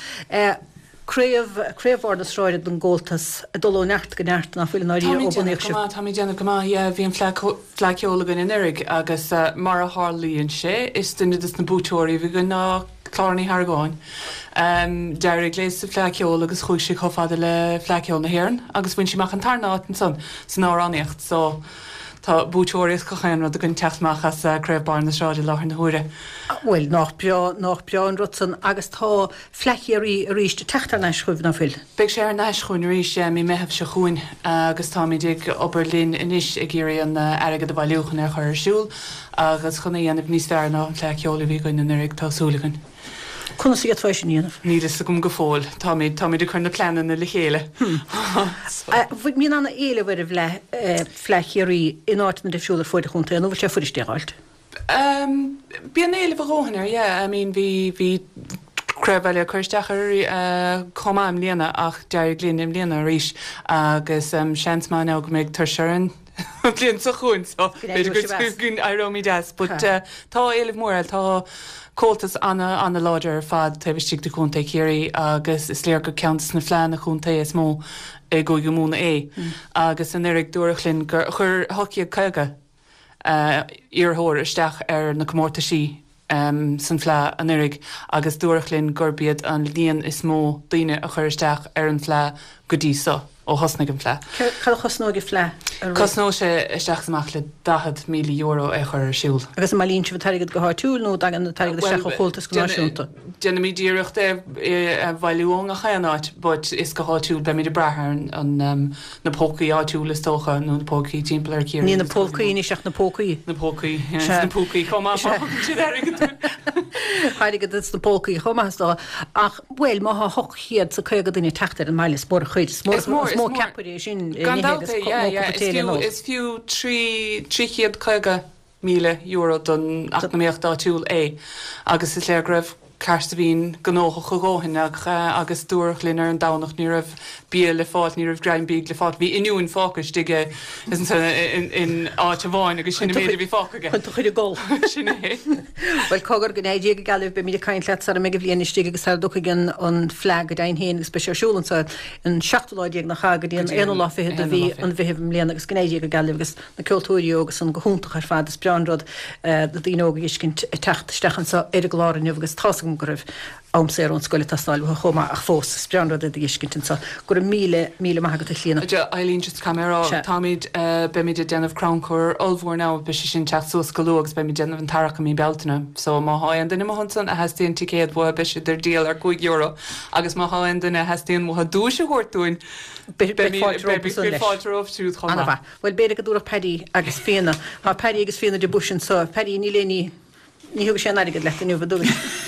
Craobh, Craobh Bharr na Sráide don gComhaltas ag dul ó neart go neart, ná fuil i ndáiríre, ó Táimid bunaíodh déanamh go sibh? maith, táimid déanamh go maith, yeah. Bhí an Fleadh, Fleadh Cheoil againn anuraidh agus mar a tharlaíonn sé, is duine des na buaiteoirí a bhí againn ná Clára Ní hArgáin. D'éirigh léi sa Fleadh Cheoil agus chuaigh sí chomh fada le Fleadh Cheoil na hÉireann agus bhain sí amach an tarna áit ansan san amhránaíocht so tá buaiteoirí as gach aon rud againn teacht amach as Craobh Barr na Sráide i láthair na huaire. Bhuel, nách breá, nách breá an rud san agus tá Fleadh Chiarraí arís ag teacht thar n-ais chugaibh, ná fuil? Beidh sé thar n-ais chugainn arís, yeah, mí Meitheamh seo chugainn agus táimid ag obair linn anois ag iarraidh an airgead a bhailiú chun é a chur ar siúl agus chun é a dhéanamh níos fearr ná an Fleadh Cheoil a bhí againn anuraidh, tá súil againn. Conas a d'fhéadfá é sin a dhéanamh? Níl fhios agam go fóill. Táimid, táimid ag cur na pleananna le chéile. Bíonn ana-éileamh ar an bhFleadh, Fleadh Chiarraí in áiteanna difriúla ar fuaid an chontae, nó bhfuil sé fuirist é a dh'fháilt? Bíonn éileamh a dhóthain air, yeah. I mean bhí, bhí craobh eile ag cur isteach air chomh maith i mbliana ach d'éirigh linn i mbliana arís agus seans maith now go mbeidh tuirse orainn an bhliain seo chugainn so b'fhéidir go go n-éireoimid as. But tá éileamh mór air, tá Comhaltas ana, ana-láidir ar fad taobh istigh de Chontae Chiarraí agus is léir gur ceann de na fleánna contae is mó i gCúige Mumhan é. Agus anuraidh dúradh linn gur chuir 1,850 iarrthóir isteach ar na comórtaisí san Fleadh anuraidh agus dúradh linn gurb iad an líon is mó daoine a chuir isteach ar an Fleadh go dtí so, ó thosnaigh an Fleadh. Cad a chosnóidh an Fleadh a rith? Cosnóidh sé isteach is amach le €40,000 é a chur ar siúl. Agus an mbailíonn sibh an t-airgead go háitiúil nó an dtagann an t-airgead isteach ó Chomhaltas go náisiúnta? Déanaimid iarracht é a bhailiú ó ngach aon áit but is go háitiúil, beimid ag brath ar an na pócaí áitiúla is dócha, nó na pócaí timpeall ar Chiarraí. Ní na pólcaí anois ach na pócaí. Na pócaí, yeah, is na púcaí chomh maith, má thugann siad airgead dúinn. Airgead is na pócaí chomh maith is dócha. Ach, bhuel, má thá 850 duine ag teacht ar an mbaile, is mór an chuid, is mór, is mó ceapaire é sin, Gan dabht é, yeah, yeah, is fiú, is fiú 350 €1,000 don eacnamaíocht áitiúil é agus is léir go raibh Cahersiveen gnóthach a dhóthain agus dúradh linn ar an Domhnach ní raibh bia le fáil, ní raibh greim bídh le fáil, bhí oinniúin fágtha istigh in áit amháin agus sin an méid a bhí fágtha aige. Chun tú chur ag gol. Sin é. Bhuel, cogar, go ndeigh Dia go geal libh, beimid ag caint leat sara mbeidh an bhliain istigh agus sara dtiocfaidh an Fleadh go deimhin féin agus beidh sé ar siúl anseo an seachtú lá déag nach ea go dtí an aonú lá fichead de mhí an Mheithimh i mbliana agus go ndeigh Dia go geal libh agus Na ceoltóirí óga san go hiontach ar fad. Is breá an rud na daoine óga a fheiscint ag teacht isteach anseo ar an gclár inniu agus tá's agam go raibh am saor ón scoil ag teastáil uathu chomh maith ach fós, is breá an rud iad a fheiscint anseo. Go raibh míle, míle maith agat a Chlíona. Eileen, just caithfidh mé a rá, Sea. táimid, beimid ag déanamh crannchur ollmhór now, beidh sé sin ag teacht suas go luath agus beimid ag déanamh an tarrac i mí Bealtaine. So má thá aon duine amuigh ansan a theastaíonn ticéad uathu beidh siad ar díol ar €5 agus má thá aon duine a theastaíonn uathu duais a thabhairt dúinn, Beidh fáilte rompu san leis. Beidh fáilte rompu siúd chomh maith. Ana-mhaith. Bhuel, b'fhéidir go dtabharfadh Paddy agus Fíona. Tá Paddy agus Fíona de Buis anseo. Paddy, níl aon ní, ní thugais aon airgead leat inniu, an dtugais?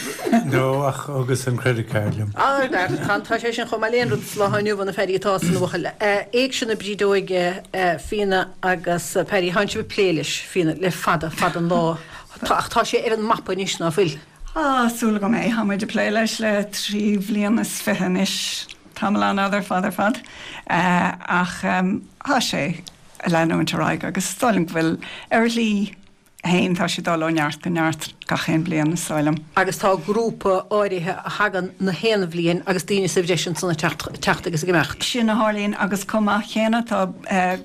No, ach thugas an credit card liom. Ah, tá, tá sé sin chomh maith le aon rud sa lá inniu, a Phaddy, atá san bhuachaill. Éigse na Brídeoige, Fíona agus Paddy, tánn sibh ag plé leis, Fíona, le fada, fada an lá. Tá, ach tá sé ar an mapa anois, ná fuil? Tá súil agam é. Tá muid ag plé leis le 23 bhliain anois. Tamall an-fhada ar fad ar fad. Ach tá sé ag leanúint ar aghaidh agus is dóigh liom go bhfuil, ar a shlí fhéin, tá sé ag dul ó neart go neart gach aon bliain, is dóigh liom. Agus tá grúpa áirithe a thagann na haon bhliain agus daoine sa bhreis ansan ag teacht agus ag imeacht. Sin a tharlaíonn agus chomh maith céanna tá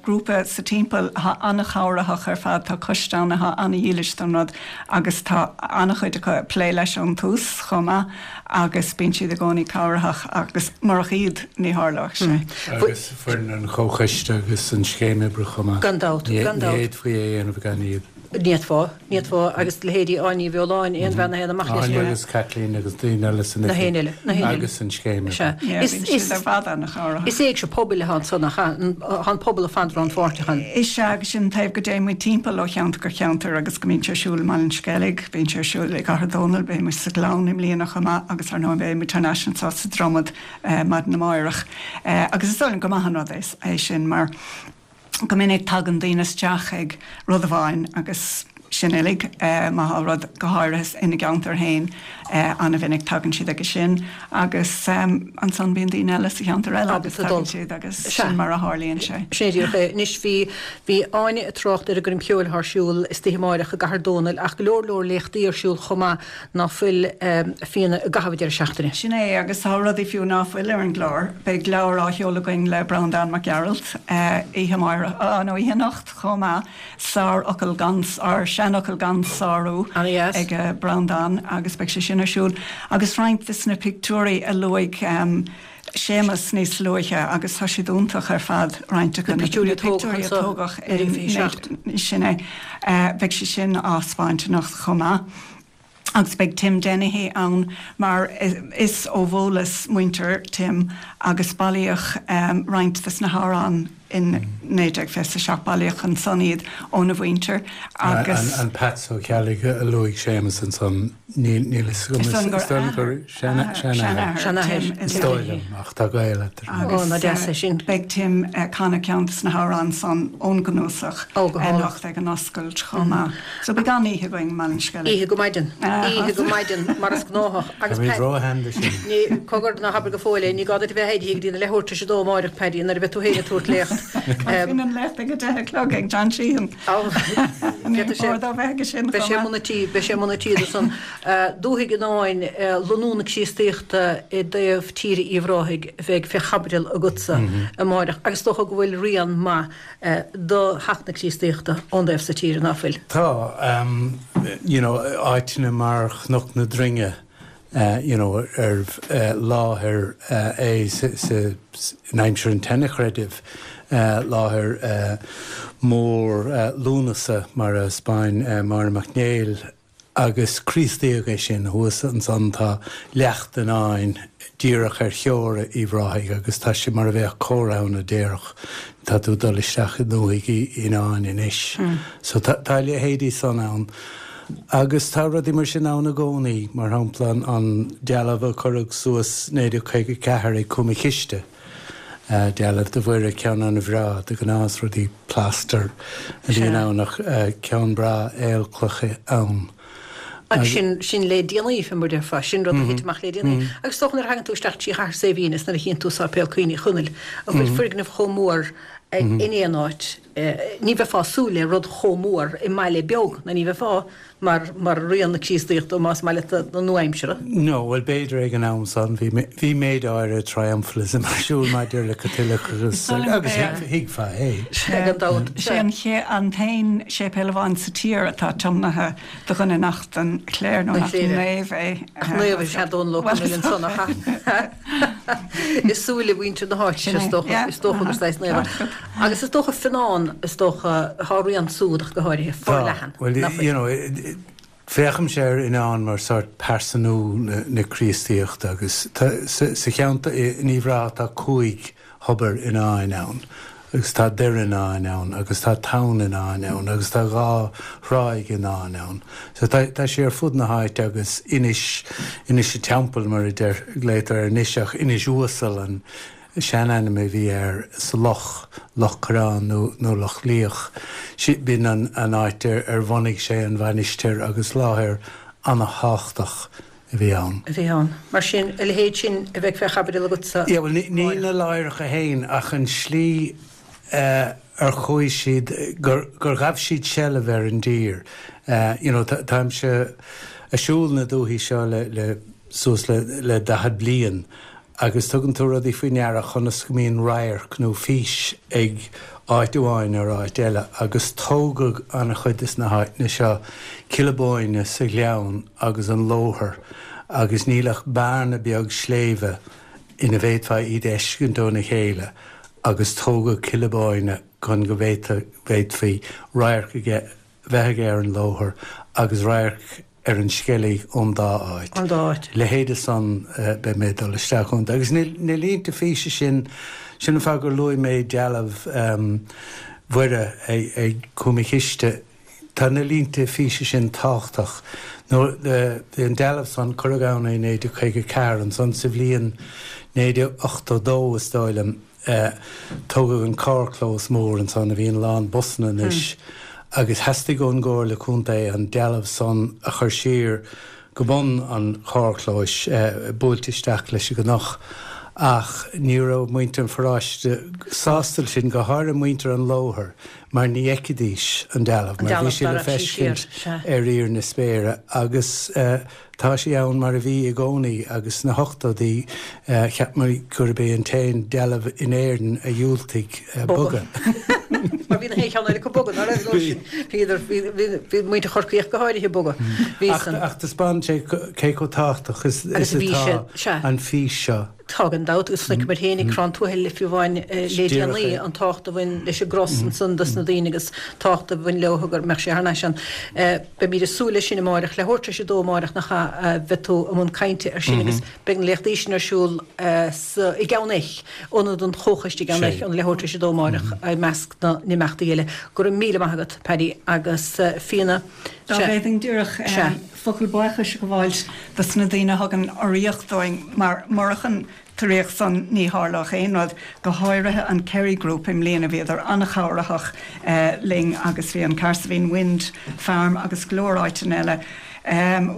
grúpa sa timpeall atá an-chabhraitheach ar fad, tá coiste ann atá an-dhílis don rud agus tá an-chuid acu ag plé leis ón tús chomh maith. agus bíonn siad i gcónaí cabhraitheach agus murach iad ní tharlódh sé. Agus foireann an chomhchoiste agus an scéim oibre chomh maith. Gan dabht, gan dabht. Ní fhéadfaí é a dhéanamh gan iad. Ní fhéadfá, ní fhéadfá agus leithéidí Áine Ní Bheoláin, aon bhean a théann amach leis Áine agus Caitlín agus daoine eile san oifig. Na héin eile, na héin eile. Agus an scéim oibre. Sea. Yeah, bíonn siad ar fad an-chabhraitheach. Is éigse pobail atá ansan nach ea? Tá an pobal ar fad rannpháirteach ann. Is ea agus sin an taobh go dtéann muid timpeall ó cheantar go ceantar agus go mbíonn sé ar siúl i mBaile an Sceilg, bíonn sé ar siúl i gCathair Dónall, beidh muid sa Ghleann i mbliana chomh maith agus ar ndóigh beidh muid thar n-ais anseo sa Dromad maidin amáireach. Agus is dóigh liom gur maith an rud é sin mar go minic tagann daoine isteach ag rud amháin agus. sin uilig. Má thá rud, go háirithe ina gceantar féin, an-mhinic tagann siad aige sin agus ansan bíonn daoine eile sa cheantar eile agus tagann siad agus sin mar a tharlaíonn sé. Sin é díreach é. Anois bhí, bhí Áine ag trácht ar an gcoirm cheoil atá ar siúl istoíche amáireach i gCathair Dónall ach go leor leor léachtaí ar siúl chomh maith ná fuil, a Fíona, i gcaitheamh an deireadh seachtaine. Sin é, agus tá rudaí fiú ná fuil ar an gclár. Beidh leabhar á sheoladh againn le Breandán Mac Gearailt oíche amáireach, nó oíche anocht chomh maith, Sárfhocal gan, or Seanfhocal gan Sárú ag Breandán agus beidh sé sin ar siúl. Agus roinnt de na pictiúirí a luaigh Séamus níos luaithe agus tá siad iontach ar fad, roinnt acu, na pictiúirí a tógadh in, sin é, beidh sé sin á 'speáint anocht chomh maith. Agus beidh Tim Dennehy ann mar is ó Bhólas muintir Tim agus bailíodh roinnt de na hamhráin in 1927, bailíodh ansan iad óna mhuintir agus. An Peats Ó Ceallaigh a luaigh Séamus ansan, níl fhios agam, is dóigh liom gur seanathair is dóigh liom, ach tá gaol eatarthu. Agus beidh Tim ag canadh ceann de na hamhráin san ón gcnuasach anocht ag an oscailt chomh maith. So beidh an-oíche againn i mBaile an Sceilg. Oíche go maidin. Oíche go maidin, mar is gnáthach. Agus Táimid róshean do sin. Ní, cogar, ná habair go fóill é, ní gá duit a bheith éirithe go dtí na leathuair tar éis a dó amáireach, Paddy, nuair a bheidh tú féin ag tabhairt léacht. Bíonn an léacht ag a deich a chlog ag John Sheehan. Ní mór dó bheith aige sin Beidh sé i mbun an tí, beidh sé i mbun an tí do san. Dúthaigh Fhionáin, lonnú na Críostaíochta i dtaobh tíre Uíbh Ráthaigh a bheidh fé chaibidil agatsa amáireach agus is dócha go bhfuil rian maith do theacht na Críostaíochta ón dtaobh so tíre, ná fuil? Tá, you know, áiteanna mar Chnoc na Droinge, you know, ar láthair é sa, in aimsir an tseanchreidimh, láthair mór Lúnasa mar a 'speáin Máire Mac Néill, Agus Críostaíodh é sin. Thuas ansan tá Leacht Fhionáin díreach ar theora Uíbh Ráthaigh agus tá sé mar a bheadh comhartha ann a déarfadh tá tú ag dul isteach i ndúthaigh Fhionáin anois. So tá a leithéidí san ann. Agus tá rudaí mar sin ann i gcónaí, mar shampla an dealbh a cuireadh suas 1954 ag Cúm a' Chiste. Dealbh de Mhuire, ceann an-bhreá, de ghnáth is rudaí plaster a bhíonn ann ach ceann breá aolchloiche ann. Agus sin, sin le déanaí, fé mar a déarfá, sin rud a thit amach le déanaí. Agus is dócha nuair a thagann tú isteach trí Chathair Saidhbhín is nuair a chíonn tú Sáipéal Cuimhne Uí Chonaill, an bhfuil foirgneamh chomh mór in aon áit, ní bheifeá ag súil le rud chomh mór i mbaile beag, nó ní bheifeá. mar, mar rian na Críostaíochta, más maith leat, na nua-aimsire. No, bhuel, b'fhéidir ag an am san, bhí, bhí méid áirithe triumphalism ar siúl maidir le Caitliceachas agus thuigfeá é. Sea, gan dabht. Sé an ché, an t-aon séipéal amháin sa tír atá tiomnaithe do dhuine nach den chléir nó nach naomh é. Ach naomh is ea Dónal Ó Conaill ansan, ach ea? I súile mhuintir na háite, is dócha, is dócha gur saghas naomh é. Agus is dócha Fionnán, is dócha, thá a rian súd ach go háirithe, forleathan, Tá, bhuel, nach bhfuil? you know, féachaimse ar Fhionnán mar sórt pearsanú na Críostaíochta agus tá, sa cheantar, in Uíbh Ráthach tá cúig thobar Fhionáin ann agus tá Doire Fhionáin ann agus tá Tonn Fhionáin ann agus tá dhá thráigh Fhionáin ann. So tá, tá sé ar fud na háite agus Inis, Inis a' Teampaill mar a deir, glaotar air anois ach Inis Uasal an, seanainm a bhí air sa loch, Loch Coireán nó nó Loch Liach. B'in an an áit ar ar bhunaigh sé an mhainistir agus láthair ana-thábhachtach a bhí ann. a bhí ann. Mar sin, a leithéid sin a bheidh fé chaibidil agatsa. Yeah, bhuel, ní na láithreacha féin ach an slí ar chuaigh siad, gur gur ghabh siad seilbh ar an dtír. You know, táimse a' siúl na dúthaí seo le le suas le le 40 bliain Agus tugann tú rudaí faoi ndeara conas go mbíonn radharc nó fís ag áit amháin ar áit eile agus tógadh an-chuid des na háiteanna seo Cill na Bóinne sa ghleann agus an Lóthar agus níl ach bearna beag sléibhe ina bhféadfá iad a fheiscint óna chéile agus tógadh Cill na Bóinne chun go bhféadfaí radharc aige bheith aige ar an Lóthar agus radharc ar an Sceilg ón dá áit. Ón dá áit. Leithéide san beidh mé ag dul isteach iontu. Agus na línte físe sin, sin an fáth gur luaigh mé dealbh Mhuire ag Cúm a' Chiste, tá na línte físe sin tábhachtach. Nó an dealbh san, cuireadh ann é i 1954, ansan sa bhliain 1982 is dóigh liom, Tógadh an carrchlós mór ansan a bhíonn lán busanna anois. Agus theastaigh ón gComhairle Contae an dealbh san a chur siar go bun an charrchlóis, buailte isteach leis an gcnoc. Ach ní raibh muintir an pharáiste sásta leis sin, go háirithe muintir an Lóthair, mar ní fheicfidís an dealbh, mar bhí sí le feiscint ar íor na spéire. Agus tá sí ann mar a bhí i gcónaí agus sna hochtóidí cheap muid gurb é an t-aon dealbh in Éirinn a dhiúltaigh bogadh. Mar bhí na haon cheann eile acu bogadh, ná raibh? Bhí. Bhíodar, bhí muintir Chorcaí ach go háirithe ag bogadh. Bhí san. Ach taispeánann sé cé chomh tábhachtach is atá an fís seo. Tá gan dabht, agus chonaiceamar féin ag Crann Tuathail fiú amháin le déanaí an tábhacht a bhain leis an gcros ansan dos na daoine agus tábhacht a bhain leo go mbeadh sé thar n-ais ann. Beimid ag súil leis sin amáireach, leathuair tar éis a dó amáireach nach ea a bheidh tú i mbun cainte ar sin agus beidh na léachtaí sin ar siúl sa i gCeann Eich, Ionad an Chomhchoiste i gCeann Eich ón leathuair tar éis a dó amáireach i measc na n-imeachtaí eile. Go raibh míle maith agat, Paddy agus Fíona. Dá bhféadfainn díreach. Focal buíochais a ghabháilt dos na daoine a thugann urraíocht dúinn, mar murach an t-urraíocht san ní tharlódh aon rud, go háirithe an Kerry Group i mbliana, bhíodar an-chabhraitheach linn agus bhí an Cahersiveen Wind Farm agus go leor áiteanna eile,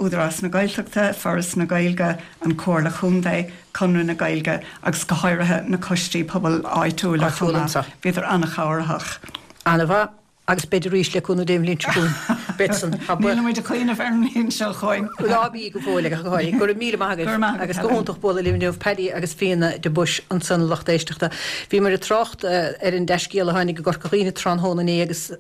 Údarás na Gaeltachta, Foras na Gaeilge, an Comhairle Chontae, Conradh na Gaeilge agus go háirithe na coistí pobail áitiúla chomh maith, bhíodar an-chabhraitheach. An-mhaith. Agus beid arís le cúnamh Dé an bhliain seo chugainn. Beid san. Tá buíoch. Nílimid ag cuimhneamh ar an mbliain seo chugainn. Ná bí go fóill ach go háirithe. Go raibh míle maith agaibh. Go raibh maith agat, Agus go Helen. hiontach bualadh libh inniu, Paddy agus Fíona de Buis ansan a lucht éisteachta. Bhíomar ag trácht ar an dea-scéal a tháinig i gCorca Dhuibhne tráthnóna inné agus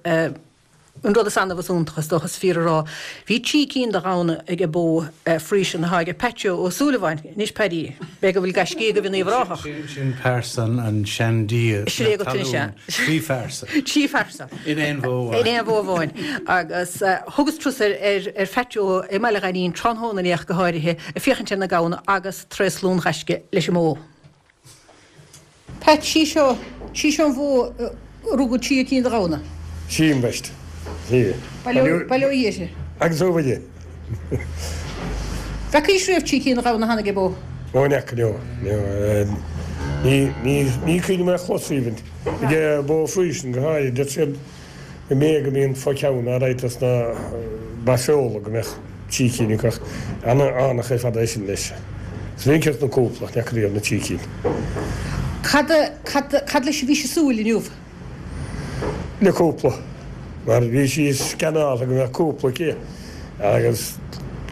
an rud is annamh is iontach, is dócha, is fíor a rá. Bhí trí cinn de ghamhna ag bó Friesian atá ag Pat Joe Ó Súilleabháin. Anois, Paddy, b'fhéidir go bhfuil gaiscí agaibh in Uíbh Ráthach. Sin pearsa an seandia Sin é na agat anois, talún. sea. Trí phearsa. Trí phearsa. In aon bhó amháin. In aon bhó amháin. Agus thugas turas ar Phat Joe i mBaile Ghainín tráthnóna inné ach go háirithe, ag féachaint ar na gamhna agus traoslún ghaisce leis an mbó. Pat, Sí seo, sí seo an bhó a rugadh trí cinn de ghamhna. Sí ambaist. Sí. Bail ó Dhia uirthi. Agus ó Mhuire. Bhfeacaís riamh trí cinn de ghamhna cheana ag bó? Ó, ní fhaca, no. Ní, ní, ní cuimhin liom é a chlos even. Ag bó Friesian go háirid, deir siad go mb'fhéidir go mbíonn fo cheann alright dos na ba feola go mbeadh trí cinn acu ach an-fhánach ar fad é sin leis. Is minic na cúpla ach ní fhaca riamh na trí cinn. Cad, cad, cad leis a bhís ag súil inniu? Le cúpla. Mar bhí sí scanrálta go mbeadh cúpla aici agus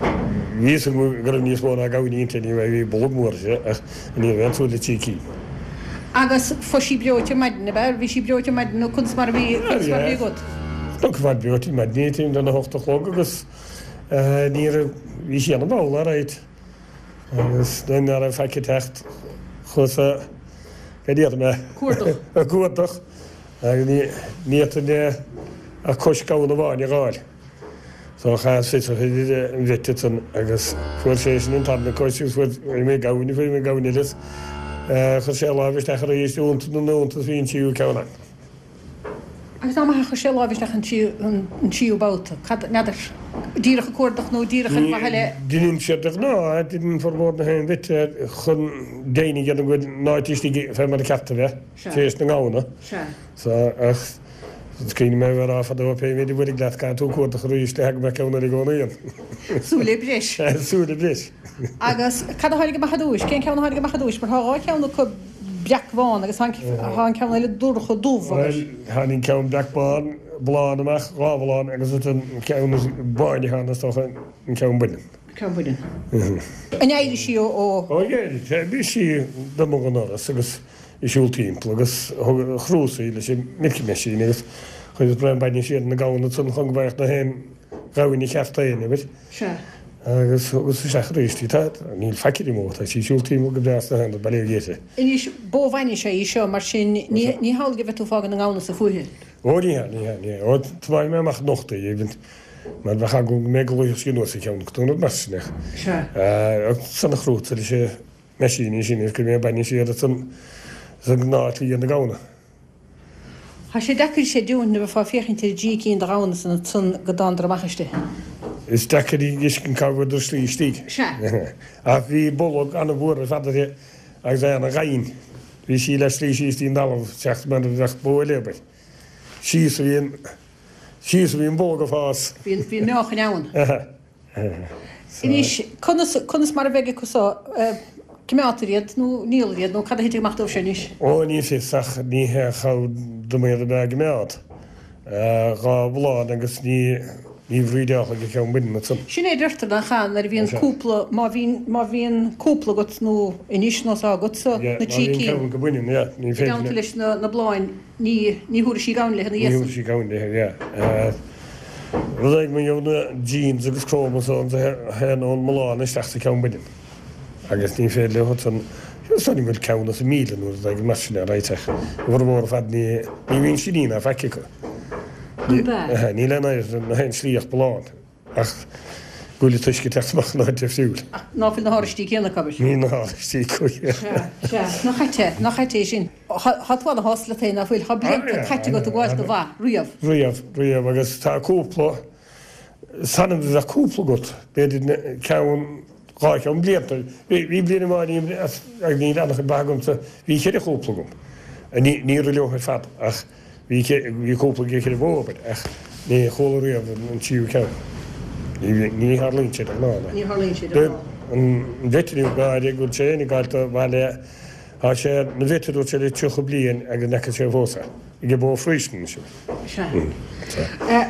bhí fhios agam go raibh níos mó ná gamhainí inti anyway, bhí bolg mór aici ach ní raibh aon tsúil le trí cinn. Agus fuair sí breoite ar maidin, ab ea? Bhí sí breoite ar maidin nó conas mar a bhí, conas mar a bhí agat? Chonac a fad breoite ar maidin í timpeall lena hocht a chlog agus ní raibh, bhí sí ana-mhall alright agus nuair ná raibh faic ag teacht chuas a, go ndéarfaidh mé, Cuardach. a gcuardach agus ní fhéadfainn ach cois gamhna amháin a dh'fháil. So chas fiosrach idir an vet ansan agus fuair sé sin an tarna cois agus fuair mé gamhain, fuair mé gamhain eile is chuir sé a láimh isteach arís i iontas na n-iontas bhí an tríú ceann ann. Agus nach maith a chuir sé a láimh isteach an tríú babhta? Cad, n'fheadar, díreach ag cuardach nó díreach ar mhaithe le. Deineann siad de ghnáth, deineann formhór na haon vet chun deimhin a dhéanamh go bhfuil an áit istigh fé mar a ceart a bheith, tar éis na ngamhna. So, ach Is cuimhin liom é a bheith ag rá fadó, pé méid a bhuailfidh leat, caithfidh tú cuardach arís le go mbeadh ceann eile i gcónaí ann. Súil le breis. Súil le breis. Agus cad a tháinig amach ar dtúis? Cén ceann a tháinig amach ar dtúis? Mar tá dhá cheann acu breacbhán agus tá an ceann eile dorcha dubh agus. Bhuel, tháinig an ceann breacbhán, blán amach, dhá bhlán agus an ceann is báine atá ann is dócha an ceann baineann. Ceann baineann. An éirigh sí ó. Ó d'éirigh. Bhí sí d'imigh an doras agus. ag siúl timpeall agus thug chrúsaí leis an milking machine agus chuireas braon bainne siar ina gamhna ansan chun go mbeadh na haon ghamhain cheart aon uimhir. Sea. Agus thugas isteach arís í. Tá, níl faic uirthi mó, tá sí ag siúl timpeall go breá sna haon rud, bail ó Dhia uirthi. Anois, bó bhainne is ea í seo, mar sin ní, ní hamhlaidh a bheidh tú ag fágaint na ngamhna sa fúithi. Ó ní hea, ní hea, ní hea. Ó, tiomáinfidh mé amach anocht í, even, mar bheadh eagla go mbeidh go luífeadh sí anuas ar cheann acu nó rud mar sin ach. Sea. Ansan a chrútsa leis an meaisín sin is go mbeidh bainne siar ansan sa ngnáth-shlí ar na gamhna. Tá sé deacair creidiúint nuair a bheifeá ag féachaint ar an dtrí cinn de ghamhna san ansan go dtánadar amach istigh. Is deacair a fheiscint cá bhfuaireadar slí istigh. Sea. Ach bhí bolg an-mhór ar fad uirthi agus é ana-dhoimhin. Bhí sí le slí síos dtí'n dtalamh seachas mar a bheadh bó eile, abair. Síos a bhí an. Síos a bhí an bhó ag fás. Bhí an, bhí an meáchan ann. Anois, conas, conas mar a bheidh acu so, coimeádtar iad nó ndíoltar iad nó cad a thitfidh amach dóibh sin anois? Ó, ní fios ach ní hé chomh dom iad a bheith á gcoimeád. 2 bhulán agus ní ní bhrídeálfaidh an ceann baineann ansan. Sin é a deirtear nach ea nuair a bhíonn cúpla, má bhíonn, má bhíonn cúpla agat nó anois nós agatsa, na trí cinn. Má bhíonn ceann go baineann, yeah, ní féidir. I dteannta leis na, na bláin, ní, ní thabharfaidh sí gamhain léi ina dhiaidh san. Ní thabharfaidh sí gamhain léi, yeah. Rud éigin mar gheall na genes agus chromosomes a théann ón mbulán isteach sa cheann baineann. Agus ní féidir leo san, is dóigh liom go bhfuil ceann as an 1,000 nó rud éigin mar sin ar réiteach. A bhformhór ar fad ní, ní bhíonn siní ná faic acu. An b'ea? Níl aon oidhre ná aon slí ach bulán. Ach go bhfuil an t-uisce ag teacht amach in áit difriúil. Ach ná fuil na háristí céanna acu, abair? Níl na háristí acu, yeah. Sea, sea. Nach ait é, nach ait é sin. Tá tú ana-shásta leat féin, ná fuil? Tá blianta caite agat ag gabháil do bha, riamh. Riamh, riamh. Agus tá cúpla, is annamh a bheadh cúpla agat, b'fhéidir ceann, 2 cheann blianta. Bhí bliain amháin agus níl an-chuid ba agamsa, bhí cheithre chúpla agam. Ní raibh leo ar fad ach bhí bhí cúpla de cheithre bhó abair ach ní chuala riamh an tríú ceann. Ní tharlaíonn sé de ghnáth. Ní tharlaíonn sé de ghnáth. An veterinaire gáire go bhfuil sé féin ag gabháil do bhaile tá sé ina veterinaire dúirt sé le 30 bliain agus ní fhaca sé fós é. Ag bó Friesian anois. Sea.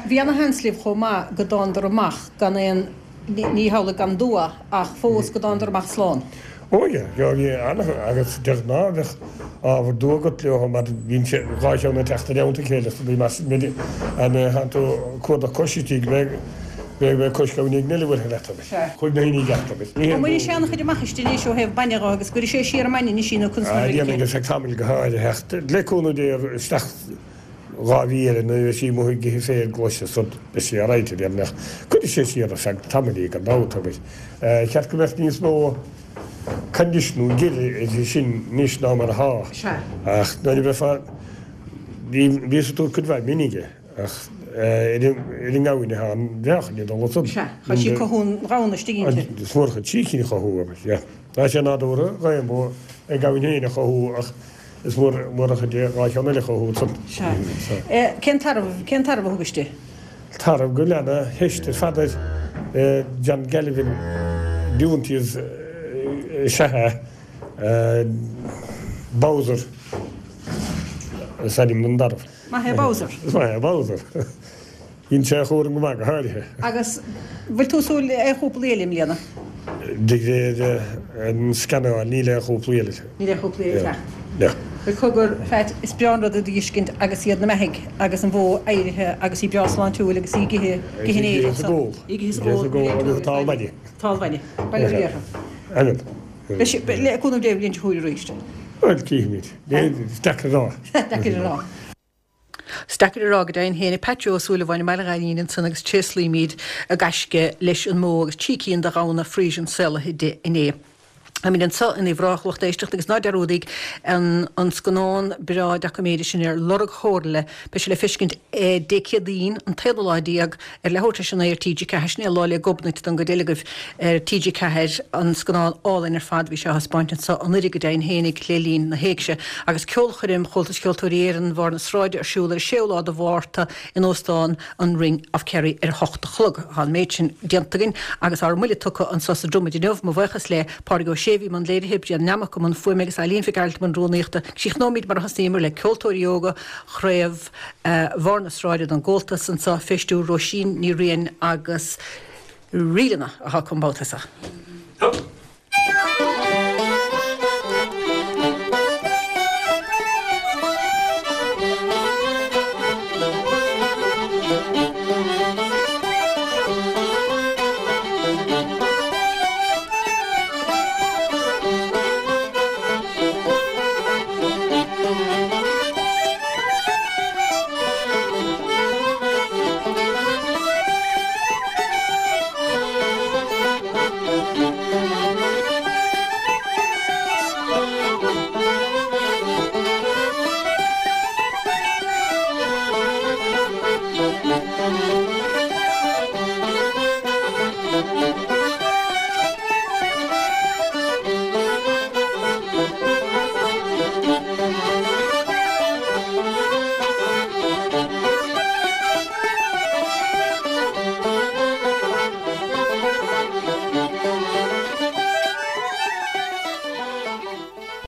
Bhí ana-sheans libh chomh maith go dtánadar amach gan aon Ní hamhlaidh gan dua, ach fós go dtánadar amach slán. Ó yeah, yeah, bhí ana, agus de ghnáth bheadh ábhar dua agat leo mar bhíonn sé, 2 cheann ag teacht i dteannta a chéile so bhí mar sin, an tánn tú ag cuardach cois istigh, bheadh, bheadh, bheadh cois gamhain éigin eile bhuailthe leat agus chuaigh na haoinní i gceart agus ní haon An mbainfidh sé an-chuid amach aisti anois ó thaobh bainne dho agus gcuirfidh sé siar an mbainne anois í nó conas mar a bheidh aici? Déanfaidh ar feadh tamaill go háirithe ach le cúnamh Dé isteach 2 mhí eile nuair a bheidh sí amuigh ag ithe féir glaise san beidh sí alright a déarfainn ach cuirfidh sé siar ar feadh tamaill í gan dabht abair. Cheart go mbeadh níos mó condition nó gile uirthi sin anois ná mar atá ach nuair a bheifeá bhí bhíos ag tabhairt cuid mhaith mine ach ar an ngamhain atá an mheáchan ag dul ansan. Sea, tá sí ag cothú an ghamhna istigh inti. Is mór an chuid sícín a chothú abair, yeah. Tá sé nádúrtha d'aon bhó a gamhain féin a chothú ach Is mór an chuid é 2 cheann eile a chothú ansan. Sea. Cén tarbh, cén tarbh a thugais di? Tarbh go bhfuil ana-theist ar fad air. John Galvin Deontiers is ea é. Bowser is ainm don dtarbh. Maith é Bowser. Is maith é Bowser. Dhein sé a chúram go maith, go háirithe. Agus bhfuil tú ag súil le aon chúplaí eile i mbliana? De réir an scannáil, níl aon chúplaí eile. Níl aon chúplaí eile ag teacht. No. Bhuel cogar, Phat, is breá an rud iad a dh'fheiscint agus iad na beathaigh agus an bhó éirithe agus í breá sláintiúil agus í ag ithe, ag ithe an fhéir ansan. Í ag ithe is ag ól, níl aon teorainn. Agus tá an bhainne. Tá an bhainne. Bail ó Dhia orthu. Amen. Le cúnamh Dé, bliain seo chugainn arís. Bhuel, cífimid. Is deacair a rá. Deacair a rá. Is deacair a rá go deimhin féin. Pat Joe Ó Súilleabháin i mBaile Ghainín ansan agus tréaslaímid a gaisce leis an mbó agus 3 cinn de ghamhna Friesian saolaithe di inné. Táimid anso in Uíbh Ráthach, lucht éisteachta, agus ná dearúdaíg an an scannán breá doiciméide sin ar Lorg Shomhairle. Beidh sé le feiscint Dé Céadaoin, an t-aonú lá déag, ar leathuair tar éis a naoi ar TG4. Sin é Lá 'le Gobnait don gcuid eile agaibh ar TG4, an scannán álainn ar fad. Bhí sé á thaispeáint anso anuiridh go deimhin fhéinig le linn na hÉigse. Agus ceolchoirm Chomhaltas Cheoltóirí Éireann Bharr na Sráide ar siúl ar an séú lá de Mhárta in Óstán an Ring of Kerry ar a hocht a chlog. Tá an méid sin déanta againn agus ár mbuille tugtha anso sa Dromad inniu. Mo bhuíochas le Pádraig Ó Sé a bhí i mbun léirithe, Brian Nammock i mbun fuaime agus Eileen Mhic Gearailt i mbun rúnaíochta. Críochnóimid mar a thosnaíomar le ceoltóirí óga Chraobh Bharr na Sráide don gComhaltas anso fé stiúir Róisín Ní Riain agus Ríleanna atá acu an babhta seo.